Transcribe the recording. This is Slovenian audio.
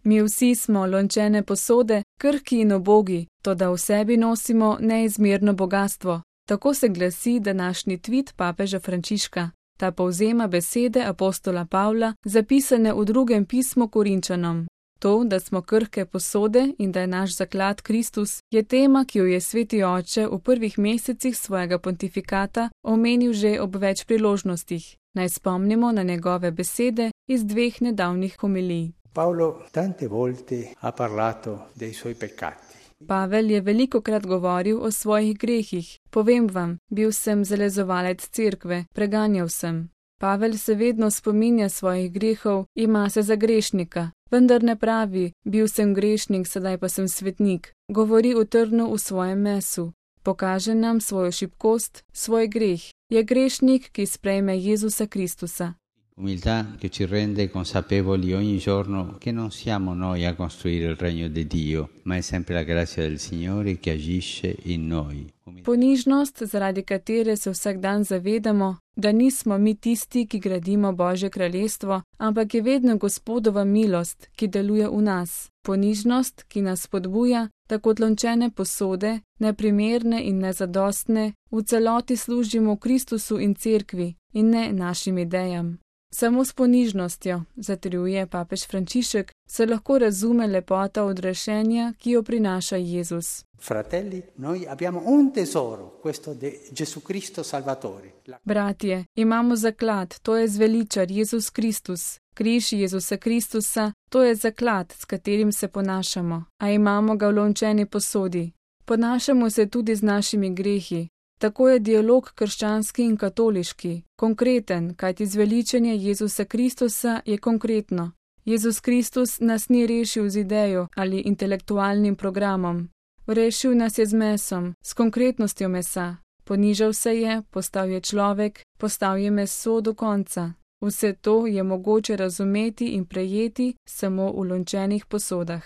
Mi vsi smo lončene posode, krhki in ubogi, toda v sebi nosimo neizmerno bogastvo. Tako se glasi današnji tvit papeža Frančiška. Ta povzema besede apostola Pavla, zapisane v drugem pismu Korinčanom. To, da smo krhke posode in da je naš zaklad Kristus, je tema, ki jo je sveti oče v prvih mesecih svojega pontifikata omenil že ob več priložnostih. Naj spomnimo na njegove besede iz 2 nedavnih homilij. Paolo tante volte ha parlato dei suoi peccati. Pavel je velikokrat govoril o svojih grehih. Povem vam, bil sem zalezovalec cerkve, preganjal sem. Pavel se vedno spominja svojih grehov, ima se za grešnika, vendar ne pravi, bil sem grešnik, sedaj pa sem svetnik. Govori o trnu v svojem mesu. Pokaže nam svojo šibkost, svoj greh. Je grešnik, ki sprejme Jezusa Kristusa. Umiltà che ci rende consapevoli ogni giorno che non siamo noi a costruire il regno di Dio, ma è sempre la grazia del Signore che agisce in noi. Ponižnost, zaradi katere se vsak dan zavedamo, da nismo mi tisti, ki gradimo Božje kraljestvo, ampak je vedno Gospodova milost, ki deluje v nas. Ponižnost, ki nas spodbuja, da kot lončene posode, neprimerne in nezadostne, v celoti služimo Kristusu in cerkvi in ne našim idejam. Samo s ponižnostjo, zatrjuje papež Frančišek, se lahko razume lepota odrešenja, ki jo prinaša Jezus. Fratelli, noi abbiamo un tesoro, questo di Gesù Cristo Salvatore. Bratje, imamo zaklad, to je zveličar Jezus Kristus. Križ Jezusa Kristusa, to je zaklad, s katerim se ponašamo, a imamo ga v lončeni posodi. Ponašamo se tudi z našimi grehi. Tako je dialog krščanski in katoliški, konkreten, kajti zveličenje Jezusa Kristusa je konkretno. Jezus Kristus nas ni rešil z idejo ali intelektualnim programom. Rešil nas je z mesom, s konkretnostjo mesa. Ponižal se je, postal je človek, postal je meso do konca. Vse to je mogoče razumeti in prejeti samo v lončenih posodah.